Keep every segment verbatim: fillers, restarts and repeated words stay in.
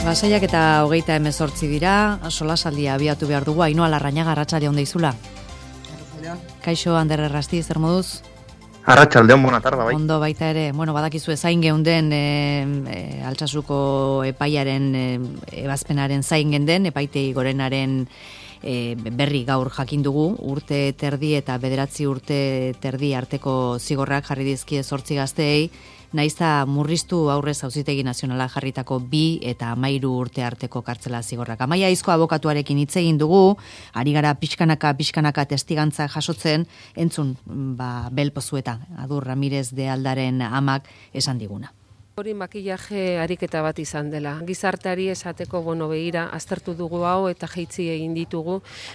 Lasaiak eta hogeita hemezortzi dira, solasaldia abiatu behar dugu. Ainhoa Larrañaga, arratsalde on deizula. Kaixo, Ander Errasti, zer moduz? Arratsaldeon, bona tarda, bai. Ondo baita ere, bueno, badakizu zain geunden e, e, Altsasuko epaiaren e, ebazpenaren zain geunden, epaitegi gorenaren e, berri gaur jakin dugu, urte terdi eta bederatzi urte terdi arteko zigorrak jarri dizkie zortzi gazteei, naizta murriztu aurrez Auzitegi Nazionala jarritako bi eta hamairu urte arteko kartzela zigorrak. Amaia Aizko abokatuarekin hitz egin dugu, ari gara pixkanaka pixkanaka testigantza jasotzen, entzun ba Bel Pozueta, Adur Ramirez de Aldaren amak esan diguna. Hori makillaje ariketa bat izan dela. Gizarteari esateko, bueno, begira, aztertu dugu hau eta jeitzi egin ditugu,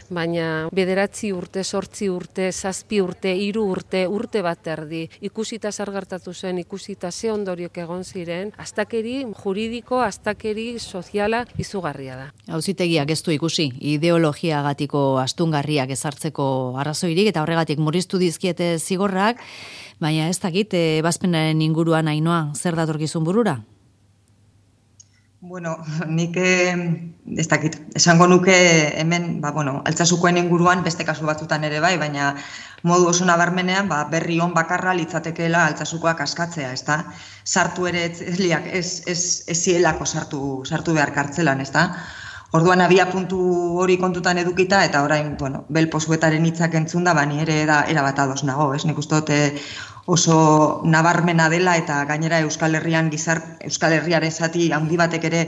baina bederatzi urte, sortzi urte, zazpi urte, hiru urte, urte bat erdi, ikusita zer gertatu zen, ikusita ze ondoriok egon ziren, astakeri juridiko, astakeri soziala izugarria da. Auzitegiak ez du ikusi, ideologiagatiko astungarriak ezartzeko arrazoirik eta horregatik murriztu dizkiete zigorrak, baina ez dakit, ebazpenaren inguruan Ainhoa, zer datorkizun burura? Bueno, nik ez dakit, esango nuke hemen, ba, bueno, Altsasukoen inguruan beste kasu batzutan ere bai, baina modu oso nabarmenean, ba, berri on bakarra litzatekeela Altsasukoak askatzea, ezta? Sartu ere ez ez ez ez zielako sartu sartu behar kartzelan, ezta? Orduan abia puntu hori kontutan edukita eta orain, bueno, Bel Pozuetaren hitzak entzunda, ba ni ere da era bat ados nago, ez? Nik uste dut oso nabarmena dela eta gainera Euskal Herrian gizar Euskal Herriaren zati handi batek ere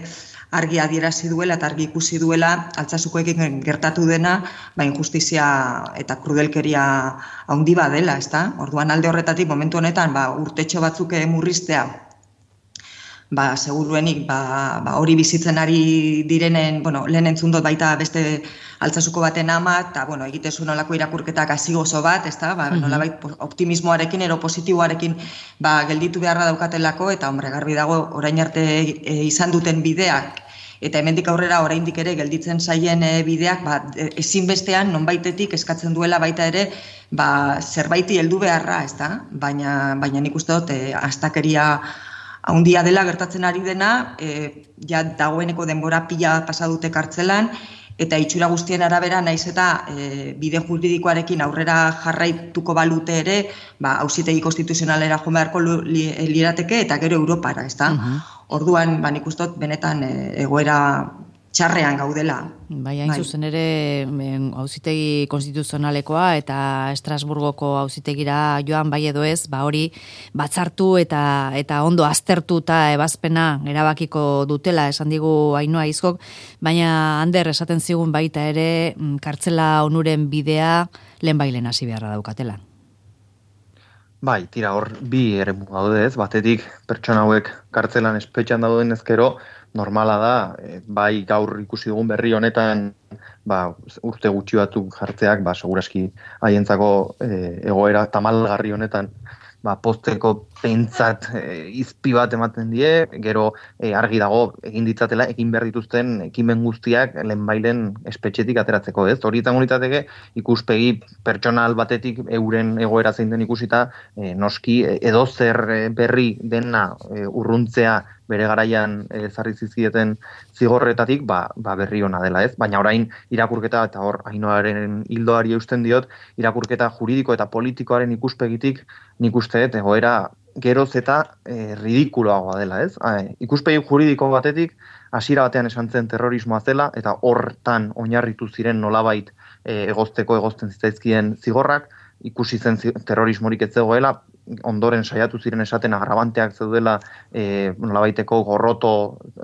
argi adierazi duela eta argi ikusi duela Altsasukoekin gertatu dena, ba injustizia eta krudelkeria handi bat dela, ezta? Orduan alde horretatik momentu honetan, ba urtetxo batzuk murriztea, ba, seguruenik, ba, ba, hori bizitzen ari direnen, bueno, lehen entzun dut baita beste Altsasuko baten ama, eta, bueno, egitezu nolako irakurketak hasi gozo bat, ezta, ba, mm-hmm. nolabait optimismoarekin, ero positiboarekin, ba, gelditu beharra daukatelako, eta, hombre, garbi dago, orain arte e, izan duten bideak, eta hemendik aurrera oraindik ere gelditzen zaien e, bideak, ba, ezinbestean, nonbaitetik eskatzen duela baita ere, ba, zerbaiti heldu beharra, ezta, baina, baina nik uste dut, e, astakeria haundia dela gertatzen ari dena, e, ja dagoeneko denbora pila pasa dute kartzelan, eta itxura guztien arabera naiz eta e, bide juridikoarekin aurrera jarraituko balute ere, ba, Auzitegi Konstituzionalera joan beharko li, lirateke eta gero Europara, ezta? Uh-huh. Orduan, ba, nik uste dut benetan e, egoera txarrean gaudela. Bai, hain zuzen ere, Auzitegi Konstituzionalekoa eta Estrasburgoko auzitegira joan bai edo ez, ba hori batzartu eta eta ondo aztertu eta ebazpena erabakiko dutela, esan digu Ainhoa Aizkok, baina Ander esaten zigun baita ere, kartzela onuren bidea lehenbailen hasi beharra daukatela. Bai, tira hor bi eremu daude ez, batetik pertsona hauek kartzelan espetxean dauden ezkero, normala da, bai gaur ikusi dugun berri honetan, ba, urte gutxi batzuk jartzeak, ba, seguraski haientzako e, egoera tamalgarri honetan, ba, pozteko pentsat e, izpi bat ematen die, gero e, argi dago egin ditzatela, egin behar dituzten ekimen guztiak lehenbailen espetxetik ateratzeko, ez? Hori izango litzateke ikuspegi pertsonal batetik euren egoera zein den ikusita, e, noski edo zer berri dena e, urruntzea bere garaian ezarri zizkieten zigorretatik, ba, ba berri ona dela, ez? Baina orain irakurketa, eta hor Ainhoaren hildoari eusten diot, irakurketa juridiko eta politikoaren ikuspegitik nik uste dut egoera geroz eta e, ridikuloagoa dela, ez? E, ikuspegi juridiko batetik, hasiera batean esan zen terrorismoa zela, eta hortan oinarritu ziren nolabait e, egozteko egozten zitzaizkien zigorrak, ikusi zen terrorismorik ez zegoela, ondoren saiatu ziren esaten agrabanteak zeudela e, nolabaiteko gorroto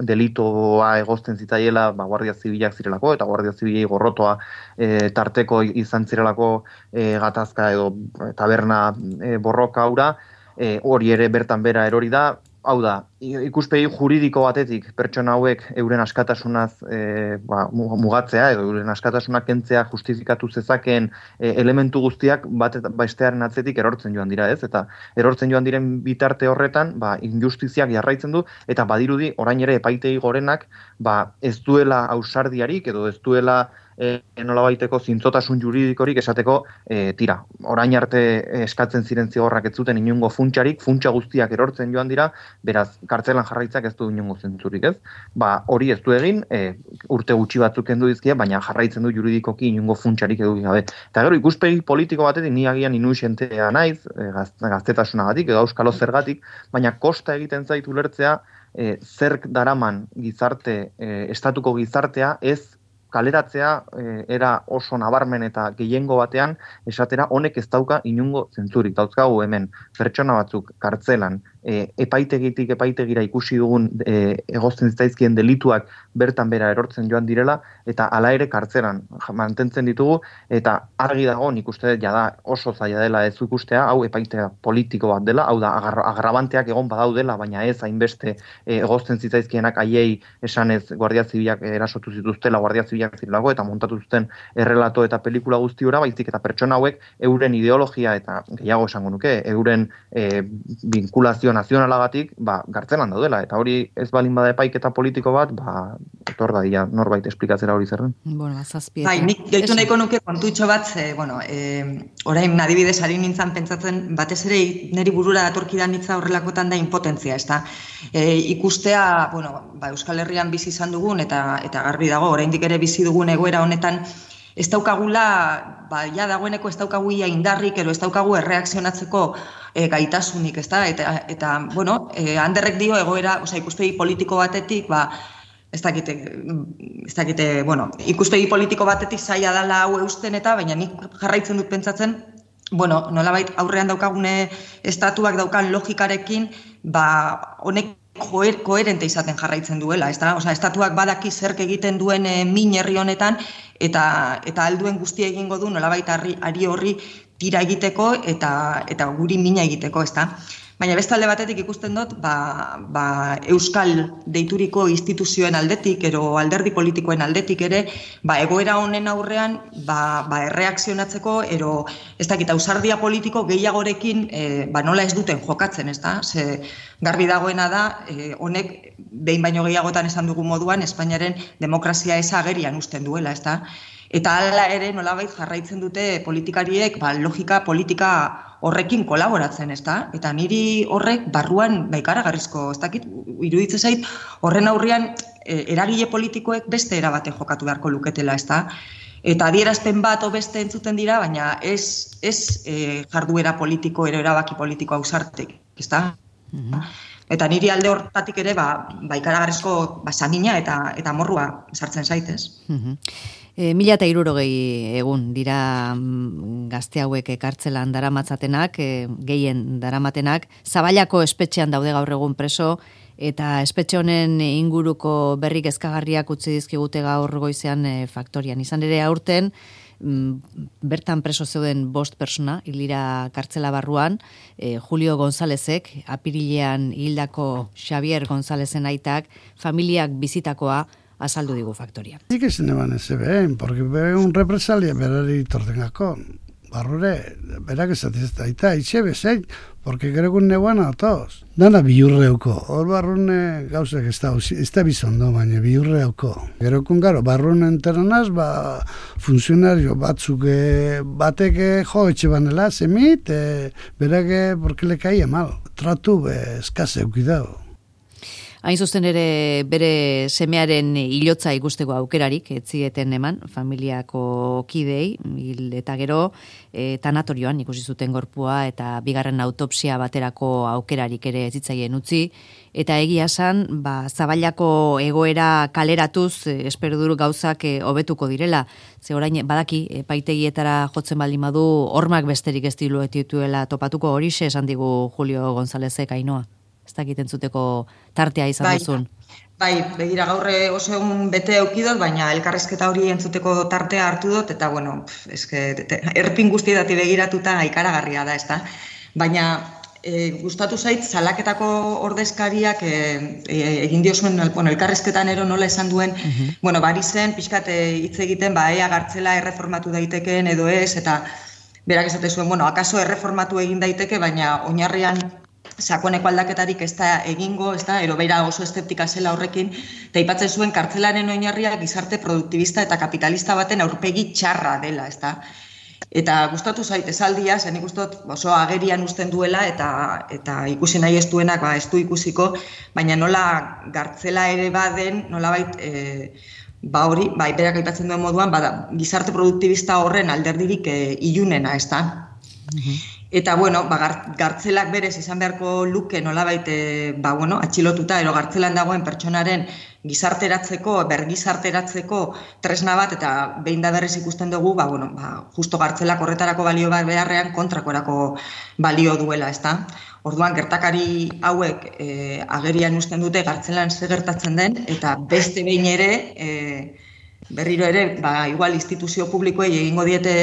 delitoa egozten zitzaiela, ba, Guardia Zibilak zirelako, eta Guardia Zibilei gorrotoa e, tarteko izan zirelako e, gatazka edo taberna e, borroka aura, e, hori ere bertan bera erori da. Hau da, ikuspegi juridiko batetik pertsona hauek euren askatasunaz e, ba, mugatzea edo euren askatasunak kentzea justifikatu zezakeen e, elementu guztiak bat bestearen atzetik erortzen joan dira, ez? Eta erortzen joan diren bitarte horretan, ba, injustiziak jarraitzen du, eta badirudi orain ere epaitegi gorenak, ba, ez duela ausardiarik edo ez duela e, nolabaiteko zintzotasun juridikorik esateko, e, tira, orain arte eskatzen ziren zigorrak ez zuten inongo funtsarik, funtsa guztiak erortzen joan dira, beraz, kartzelan jarraitzak ez du inongo zentzurik, ez? Ba, hori ez du egin, e, urte gutxi batzuk kendu dizkia, baina jarraitzen du juridikoki inongo funtsarik eduki gabe. Eta gero, ikuspegi politiko batetik ni agian inuisentea naiz, e, gaztetasunagatik edo auskalo zergatik, baina kosta egiten zait ulertzea e, zerk daraman gizarte, e, estatuko gizartea ez kaleratzea e, era oso nabarmen eta gehiengo batean esatera honek ez dauka inungo zentzurik. Dauzkagu hemen pertsona batzuk kartzelan e, epaitegitik epaitegira ikusi dugun e, egozten zitzaizkien delituak bertan bera erortzen joan direla eta hala ere kartzelan mantentzen ditugu eta argi dago nik uste dut jada oso zaila dela ez ikustea, hau epaitea politiko bat dela, hau da agar, agrabanteak egon badaudela, baina ez hainbeste e, egozten zitzaizkienak haiei esanez Guardia Zibilak erasotu zituztela, Guardia Zibilak zirelako eta montatu zuten errelato eta pelikula guzti ora, baizik eta pertsona hauek euren ideologia eta gehiago esango nuke, euren e, vinkulazio nazionalagatik, ba, gartzelan daudela, eta hori ez balin bada epaiketa politiko bat, ba, etor da dira norbait esplikatzera hori zerren. Bueno, zazpieta. Bai, nik gehitu nahiko nuke kontutxo bat, ze, bueno, e, orain adibidez ari nintzen pentsatzen, batez ere niri burura datorkidan hitza horrelakotan da impotentzia, ez da? E, ikustea, bueno, ba, Euskal Herrian bizi izan dugun, eta, eta garbi dago, oraindik ere bizi dugun egoera honetan, ez daukagula, ba, ja dagoeneko ez daukagu ia indarrik, ero ez daukagu erreakzionatzeko e, gaitasunik, ez da? Eta, eta bueno, e, Anderrek dio egoera, osea, ikuspegi politiko batetik, ba, ez dakite, ez dakite, bueno, ikuspegi politiko batetik zaila dela hau eusten eta, baina nik jarraitzen dut pentsatzen, bueno, nolabait aurrean daukagune estatuak daukan logikarekin, ba, honek koherente izaten jarraitzen duela, ez da? Osea, estatuak badaki zerk egiten duen e, min herri honetan, eta eta alduen guztia egingo du nolabait ari horri tira egiteko eta eta guri mina egiteko, ez da? Baina bestalde batetik ikusten dut, ba, ba, Euskal deituriko instituzioen aldetik, ero alderdi politikoen aldetik ere, ba, egoera honen aurrean ba, ba, erreakzionatzeko, ero ez dakit, ausardia politiko gehiagorekin e, ba, nola ez duten jokatzen, ez da? Ze garbi dagoena da, e, honek behin baino gehiagotan esan dugu moduan, Espainiaren demokrazia eza agerian usten duela, ez da? Eta hala ere nolabait jarraitzen dute politikariek ba, logika politika horrekin kolaboratzen, ez da? Eta niri horrek barruan baikaragarrizko, ez dakit, iruditzen zait, horren aurrean e, eragile politikoek beste erabate jokatu beharko luketela, ez da? Eta adierazpen bat o beste entzuten dira, baina ez, ez e, jarduera politiko, ero erabaki politiko ausartek, ez da? Mm-hmm. Eta niri alde hortatik ere ba, baikaragarrizko ba, samina eta, eta morrua sartzen zaitez. Mm-hmm. E, mila eta hirurogei egun dira gazte hauek kartzelan daramatzatenak, e, gehien daramatenak, Zaballako espetxean daude gaur egun preso, eta espetxe honen inguruko berri kezkagarriak utzi dizkigute gaur goizean e, faktorian. Izan ere aurten, bertan preso zeuden bost persona, hilira kartzela barruan, e, Julio Gonzálezek, apirilean hildako Xavier Gonzálezen aitak, familiak bizitakoa, azaldu digu faktorian. Sí que se ne van ese ben, porque ve un represalia berari tordengako. Barrure, berak esatiz daita, itxe bezein, porque creo que un neguan a todos. Dana bihurreuko, hor barrune gauzek ez da, ez da bizondo, baina bihurreuko. Gero kun garo, barrune enteranaz, ba, funtzionario batzuk batek jo etxe banela, zemit, e, berak, porque le caía mal. Tratu, be, eskase eukidao. Hain zuzen ere bere semearen hilotza ikusteko aukerarik, etzieten eman, familiako kidei, hil eta gero, e, tanatorioan ikusi zuten gorpua eta bigarren autopsia baterako aukerarik ere zitzaien utzi, eta egia esan, ba, Zaballako egoera kaleratuz, e, espero duru gauzak e, hobetuko direla, ze orain badaki, epaitegietara jotzen baldin badu, hormak besterik ez dituela topatuko, horixe esan digu Julio Gonzálezek Ainoa. Ez dakiten zuteko tartea izan bai, duzun. Bai, begira gaurre oso egun bete eukidot, baina elkarrezketa hori entzuteko tartea hartu dut, eta bueno, eske, erpin guztietati begiratuta ikaragarria da, ez da? Baina e, gustatu zait, salaketako ordezkariak e, e, egin diozuen, bueno, elkarrezketan ero nola esan duen, uh-huh. bueno, bari zen, pixkat hitz egiten, ba, ea gartzela erreformatu daitekeen edo ez, eta berak esate zuen, bueno, akaso erreformatu egin daiteke, baina oinarrian sakoneko aldaketarik ez da egingo, ez da, ero beira oso eszeptika zela horrekin, eta aipatzen zuen kartzelaren oinarria gizarte produktibista eta kapitalista baten aurpegi txarra dela, ez da. Eta gustatu zait esaldia, zen ikustot oso agerian uzten duela eta eta ikusi nahi ez duenak ba, ez du ikusiko, baina nola gartzela ere baden, nolabait e, ba hori, ba berak aipatzen duen moduan, ba, gizarte produktibista horren alderdirik e, ilunena, ez da? Eta, bueno, ba, gartzelak berez izan beharko luke nolabait e, ba, bueno, atxilotuta, ero gartzelan dagoen pertsonaren gizarteratzeko, bergizarteratzeko tresna bat, eta behin da berriz ikusten dugu, ba, bueno, ba, justo gartzelak horretarako balio bat beharrean kontrakorako balio duela, ezta? Orduan, gertakari hauek e, agerian uzten dute gartzelan zer gertatzen den, eta beste behin ere, e, berriro ere, ba, igual instituzio publikoei egingo diete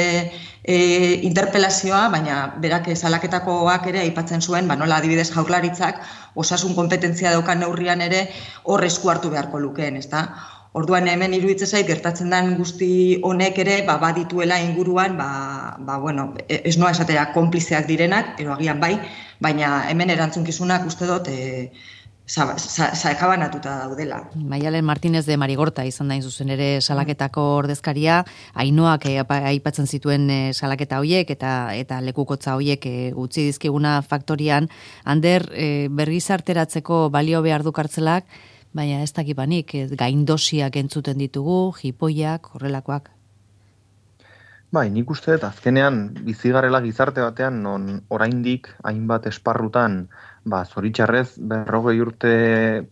e, interpelazioa, baina berak salaketakoak ere aipatzen zuen, ba, nola adibidez jaurlaritzak osasun konpetentzia daukan neurrian ere hor esku hartu beharko lukeen, ezta? Orduan hemen iruditzen zait gertatzen den guzti honek ere ba, badituela inguruan, ba, ba, bueno, ez noa esatera konplizeak direnak, ero agian bai, baina hemen erantzunkizunak uste dut e, sakabanatuta daudela. Maialen Martínez de Marigorta izan da zuzen ere salaketako ordezkaria, Ainoak eh, aipatzen zituen eh, salaketa hoiek eta eta lekukotza hoiek eh, utzi dizkiguna faktorian, Ander eh, bergizarteratzeko balio behar du kartzelak, baina ez dakipanik, eh, gaindosiak entzuten ditugu, jipoiak, horrelakoak. Bai, nik uste dut azkenean bizigarrela gizarte batean non oraindik hainbat esparrutan ba, zoritxarrez, berrogei urte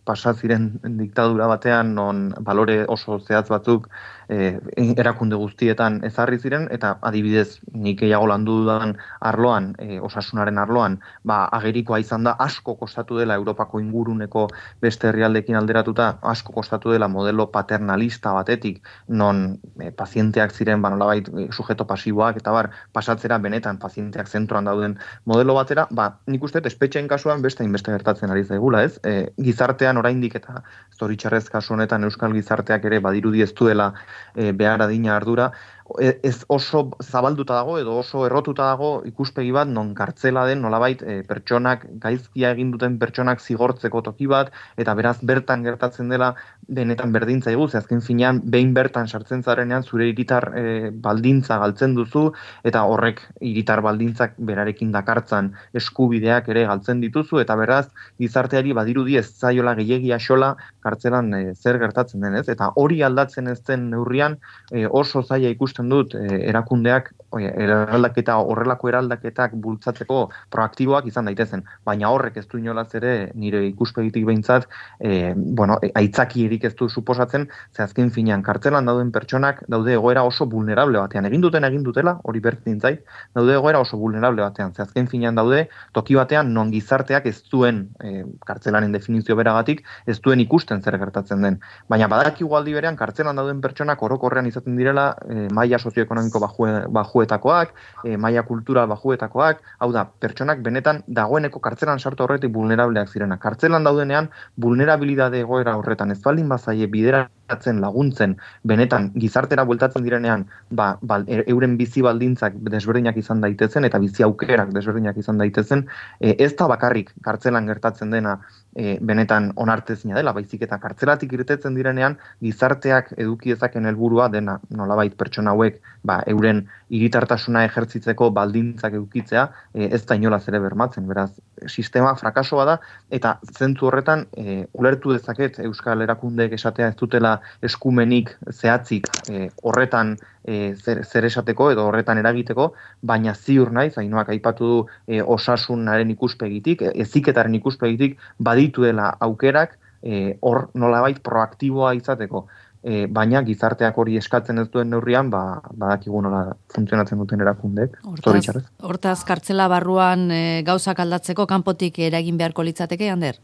pasa ziren diktadura batean, non balore oso zehatz batzuk e, erakunde guztietan ezarri ziren, eta adibidez, nik gehiago landu dudan arloan, e, osasunaren arloan, ba, agerikoa izan da asko kostatu dela Europako inguruneko beste herrialdekin alderatuta, asko kostatu dela modelo paternalista batetik, non e, pazienteak ziren, ba, nolabait, e, sujeto pasiboak, eta bar, pasatzera benetan pazienteak zentroan dauden modelo batera, ba, nik uste espetxeen kasuan beste inbeste gertatzen ari zaigula, ez? E, gizartean oraindik eta zoritxarrez kasu honetan euskal gizarteak ere badirudi ez duela e, behar adina ardura, ez oso zabalduta dago edo oso errotuta dago ikuspegi bat non kartzela den nolabait e, pertsonak, gaizkia egin duten pertsonak zigortzeko toki bat, eta beraz bertan gertatzen dela benetan berdintza egu, ze azken finean behin bertan sartzen zarenean zure hiritar e, baldintza galtzen duzu, eta horrek hiritar baldintzak berarekin dakartzan eskubideak ere galtzen dituzu, eta beraz gizarteari badirudi ez zaiola gehiagia xola kartzelan e, zer gertatzen denez, eta hori aldatzen ez den neurrian e, oso zaila ikusten dut eh, erakundeak eraldaketa horrelako eraldaketak bultzatzeko proaktiboak izan daitezen, baina horrek ez du inolaz ere nire ikuspegitik behintzat eh, bueno, aitzakierik ez du suposatzen, ze azken finean kartzelan dauden pertsonak daude egoera oso vulnerable batean, egin duten egin dutela, hori berdin zait, daude egoera oso vulnerable batean, ze azken finean daude toki batean non gizarteak ez duen eh, kartzelaren definizio beragatik ez duen ikusten zer gertatzen den, baina badakigu aldi berean kartzelan dauden pertsonak orokorrean izaten direla eh, maila sozioekonomiko bajue, bajuetakoak, e, maila kultural bajuetakoak, hau da, pertsonak benetan dagoeneko kartzelan sartu horretik vulnerableak zirena. Kartzelan daudenean, vulnerabilidade egoera horretan ez baldin bazaie bideratzen laguntzen, benetan gizartera bueltatzen direnean, ba, ba, euren bizi baldintzak desberdinak izan daitezen, eta bizi aukerak desberdinak izan daitezen, e, ez da bakarrik kartzelan gertatzen dena e, benetan onartezina dela, baizik eta kartzelatik irtetzen direnean, gizarteak eduki dezaken helburua dena, nolabait pertsona hauek ba, euren hiritartasuna ejertzitzeko baldintzak edukitzea e, ez da inolaz ere bermatzen. Beraz, sistema frakasoa da eta zentzu horretan e, ulertu dezaket euskal erakundeek esatea ez dutela eskumenik zehatzik e, horretan e, zer, zer esateko edo horretan eragiteko, baina ziur naiz, Ainoak aipatu du e, osasunaren ikuspegitik, e, heziketaren ikuspegitik badituela aukerak e, hor nolabait proaktiboa izateko. E, baina gizarteak hori eskatzen ez duen neurrian, ba, badakigu nola funtzionatzen duten erakundeek. Hortaz, hortaz kartzela barruan e, gauzak aldatzeko kanpotik eragin beharko litzateke, Ander?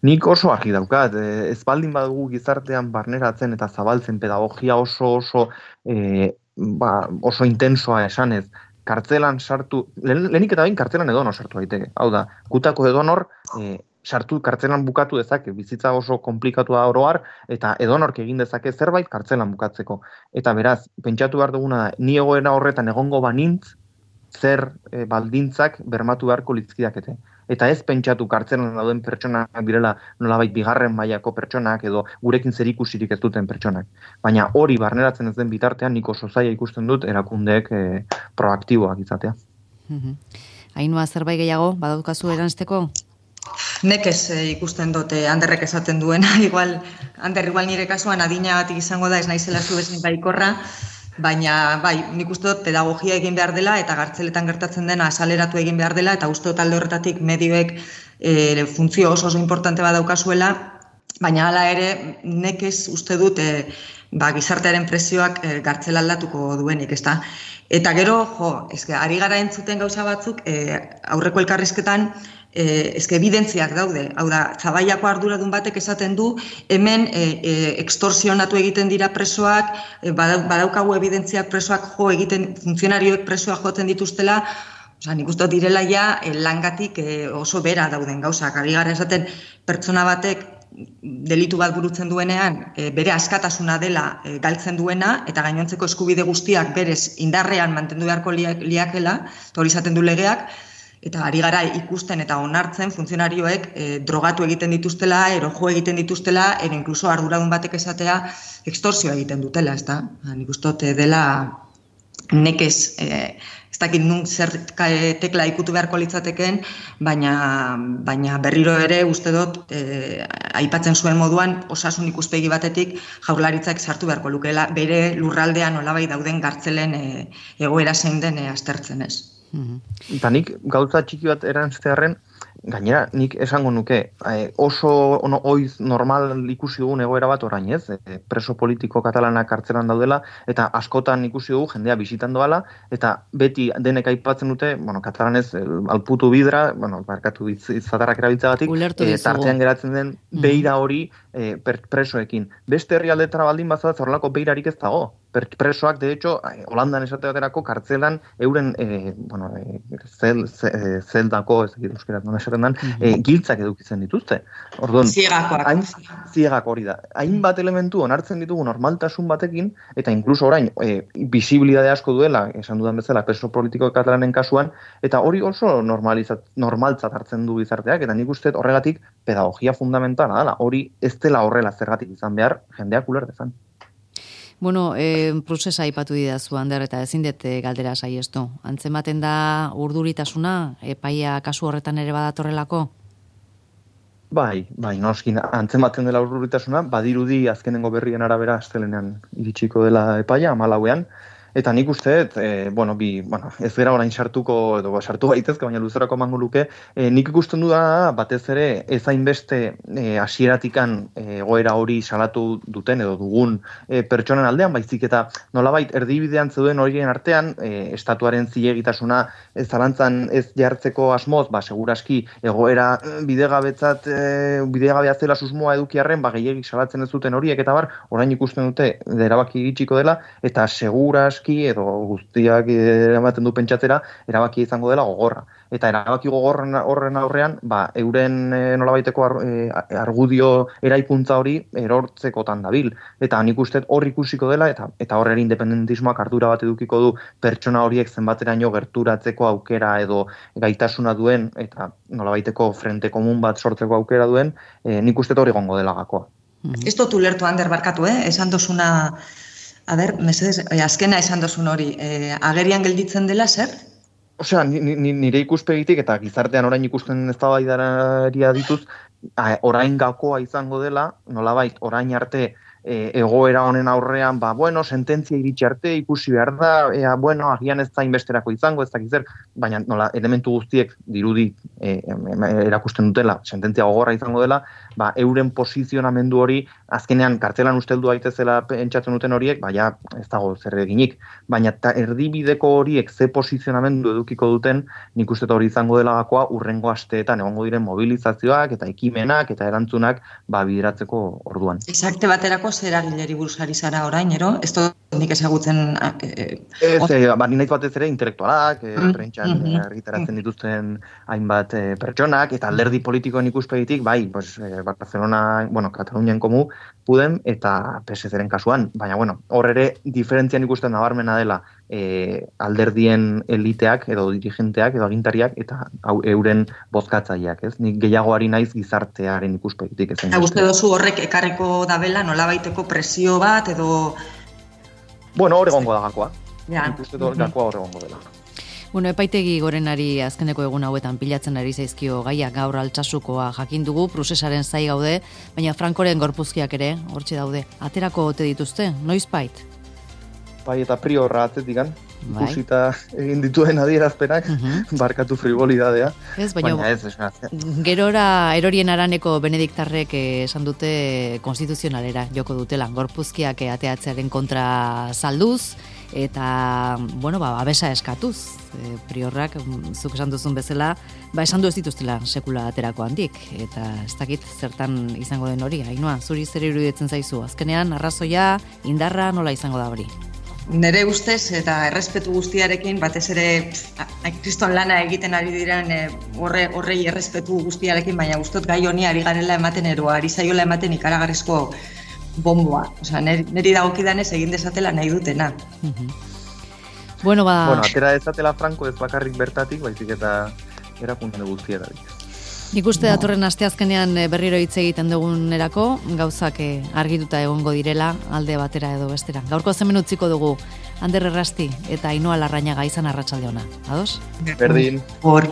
Nik oso argi daukat, e, ez baldin badugu gizartean barneratzen eta zabaltzen pedagogia oso oso e, ba, oso intensoa esanez, kartzelan sartu, lehenik eta bain kartzelan edonor sartu daiteke. Hau da, gutako edonor e, sartu kartzelan bukatu dezake, bizitza oso komplikatua oroar, eta edonork egin dezake zerbait kartzelan bukatzeko. Eta beraz, pentsatu behar duguna da, ni egoera horretan egongo banintz, zer e, baldintzak bermatu beharko litzkidakete. eta ez pentsatu kartzelan dauden pertsonak direla nolabait bigarren mailako pertsonak edo gurekin zerikusirik ez duten pertsonak. Baina hori barneratzen ez den bitartean nik oso zaila ikusten dut erakundeek e, proaktiboak izatea. Ainhoa, zerbait gehiago badaukazu eranzteko? Nekez e, ikusten dute Anderrek esaten duena, igual, Ander, igual nire kasuan adinagatik izango da, ez naizela zu bezin baikorra, baina bai, nik uste dut pedagogia egin behar dela eta gartzeletan gertatzen dena asaleratu egin behar dela eta uste dut alde horretatik medioek e, funtzio oso oso importante bat daukazuela, baina hala ere nekez uste dut e, ba, gizartearen presioak e, gartzela aldatuko duenik, ezta? Eta gero, jo, eske, ari gara entzuten gauza batzuk, e, aurreko elkarrizketan, Eh, eske evidentziak daude, hau da, Zabaiako arduradun batek esaten du, hemen eh, eh, extorsionatu egiten dira presoak, eh, badaukagu evidentziak presoak jo egiten, funtzionarioek presoak jotzen dituztela, osea, nik uste direla ja eh, langatik eh, oso bera dauden gauzak, ari gara esaten pertsona batek delitu bat burutzen duenean, e, bere askatasuna dela e, galtzen duena, eta gainontzeko eskubide guztiak berez indarrean mantendu beharko liakela, eta hori izaten du legeak, eta ari gara ikusten eta onartzen funtzionarioek e, drogatu egiten dituztela, erojo egiten dituztela, ero inkluso arduradun batek esatea extorsioa egiten dutela, ezta? Nik uste dut dela nekez, e, ez dakit nun zer tekla ikutu beharko litzateken, baina, baina berriro ere uste dut e, aipatzen zuen moduan osasun ikuspegi batetik Jaurlaritzak sartu beharko lukela bere lurraldean nolabait dauden gartzelen e, egoera zein den e, aztertzen ez. Eta nik gauza txiki bat erantztearen, gainera nik esango nuke, eh, oso ono, oiz normal ikusi dugun egoera bat orain ez, eh, preso politiko katalanak kartzelan daudela, eta askotan ikusi dugu jendea bisitan doala, eta beti denek aipatzen dute, bueno, katalanez, alputu bidra, bueno, barkatu izatarrak erabiltzagatik, eh, tartean geratzen den beira hori eh, presoekin. Beste herrialdetara baldin bazat, horrelako beirarik ez dago. Presoak, de hecho, Holandan esate baterako kartzelan euren, eh, bueno, eh, zel, zel, zeldako, ez dakit euskeraz, non esaten dan, eh, giltzak edukitzen dituzte. Orduan, ziegakoak. Hain, ziegak hori da. Hainbat elementu onartzen ditugu normaltasun batekin, eta inkluso orain, eh, visibilidade asko duela, esan dudan bezala, preso politiko katalanen kasuan, eta hori oso normalizat, normaltzat hartzen du gizarteak, eta nik uste horregatik pedagogia fundamentala dela. Hori ez dela horrela zergatik izan behar, jendeak ulertezan. Bueno, eh, prozesa aipatu didazu, Ander, eta ezin dut galdera saiestu. Antzematen da urduritasuna, epaia kasu horretan ere badatorrelako? Bai, bai, noskin antzematen dela urduritasuna, badirudi azkenengo berrien arabera astelenean iritsiko dela epaia, hamalauean, eta nik uste, e, bueno, bi, bueno, ez gara orain sartuko, edo sartu gaitezke, baina luzerako emango luke, e, nik ikusten du da, batez ere, ez hainbeste e, hasieratikan egoera hori salatu duten, edo dugun e, pertsonen aldean, baizik eta nolabait erdibidean zeuden horien artean, e, estatuaren zilegitasuna ez zalantzan ez jartzeko asmoz, ba, seguraski, egoera bidegabetzat, e, bidegabea zela susmoa edukiarren, ba, gehiagik salatzen ez duten horiek, eta bar, orain ikusten dute, erabaki iritsiko dela, eta seguras edo guztiak ematen du pentsatzera, erabaki izango dela gogorra. Eta erabaki gogorren horren aurrean, ba, euren e, nolabaiteko ar, e, argudio eraikuntza hori erortzekotan dabil. Eta nik uste hor ikusiko dela, eta eta horre independentismoak ardura bat edukiko du pertsona horiek zenbateraino gerturatzeko aukera edo gaitasuna duen, eta nolabaiteko frente komun bat sortzeko aukera duen, e, nik uste hori gongo dela gakoa. Mm-hmm. Ez dut ulertu, Ander, barkatu, eh? Esan dozuna... A ber, mesedez, azkena esan dozun hori, e, agerian gelditzen dela, zer? Osea, nire ikuspegitik eta gizartean orain ikusten eztabaidaria dituz, orain gakoa izango dela, nolabait, orain arte e, egoera honen aurrean, ba, bueno, sententzia iritsi arte ikusi behar da, ea, bueno, agian ez zain besterako izango, ez dakiz zer, baina nola, elementu guztiek dirudi e, erakusten dutela, sententzia gogorra izango dela, ba, euren posizionamendu hori, azkenean kartzelan usteldu daitezela pentsatzen duten horiek, baina ez dago zer eginik, baina ta, erdibideko horiek ze posizionamendu edukiko duten, nik uste hori izango dela gakoa urrengo asteetan egongo diren mobilizazioak eta ekimenak eta erantzunak ba, bideratzeko orduan. Esakte baterako zer agileri buruzari zara orain, ero? Ez dut nik ezagutzen... Eh, ez, eh, ba, ninaitz batez ere intelektualak, eh, mm, prentxan mm, argitaratzen dituzten hainbat eh, pertsonak, eta alderdi politikoen ikuspegitik, bai, pues, eh, Barcelona, bueno, Katalunian komu, Pudem eta P S C-ren kasuan, baina bueno, hor ere diferentzian ikusten nabarmena dela e, alderdien eliteak edo dirigenteak edo agintariak eta hau, euren bozkatzaileak, ez? Nik gehiago ari naiz gizartearen ikuspegitik ezen. Eta uste dozu horrek ekarriko dabela nolabaiteko presio bat edo... Bueno, hor egongo da gakoa. Ja. Nik uste dut gakoa hor egongo dela. Bueno, epaitegi gorenari azkeneko egun hauetan pilatzen ari zaizkio gaiak gaur Altsasukoa jakin dugu, prozesaren zai gaude, baina Frankoren gorpuzkiak ere hortxe daude. Aterako ote dituzte, noizbait? Bai, eta priorra atzetikan, Bai. ikusita egin dituen adierazpenak, Mhm. barkatu frivolidadea. Ez, baina, Baina ez, ez, ez. gerora erorien araneko benediktarrek eh, esan dute konstituzionalera joko dutela, gorpuzkiak eh, ateatzearen kontra salduz, eta, bueno, ba, abesa eskatuz. E, priorrak, mm, zuk esan duzun bezala, ba, esan du ez dituztela sekula aterako handik, eta ez dakit zertan izango den hori, Ainhoa, zuri zer iruditzen zaizu, azkenean, arrazoia, indarra, nola izango da hori? Nere ustez eta errespetu guztiarekin, batez ere pff, kriston lana egiten ari diren e, horre, horrei errespetu guztiarekin, baina gustot gai honi ari garela ematen ero, ari zaiola ematen ikaragarrizko bomboa. Osea, neri, neri dagokidanez egin dezatela nahi dutena. Bueno, ba... Bueno, atera dezatela Franco ez bakarrik bertatik, baizik eta erakunde guztietatik. Nik uste datorren asteazkenean eh, berriro hitz egiten dugunerako, gauzak eh, argituta egongo direla, alde batera edo bestera. Gaurko zemen utziko dugu, Ander Errasti eta Ainhoa Larrañaga izan arratsalde ona. Ados? Berdin. Hor.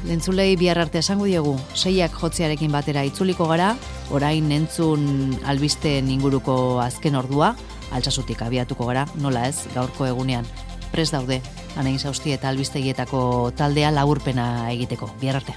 Lentzulei bihar arte esango diegu, seiak jotzearekin batera itzuliko gara, orain entzun albisteen inguruko azken ordua, Altsasutik abiatuko gara, nola ez, gaurko egunean. Prest daude, Anain Sausti eta albistegietako taldea laburpena egiteko. Bihar arte.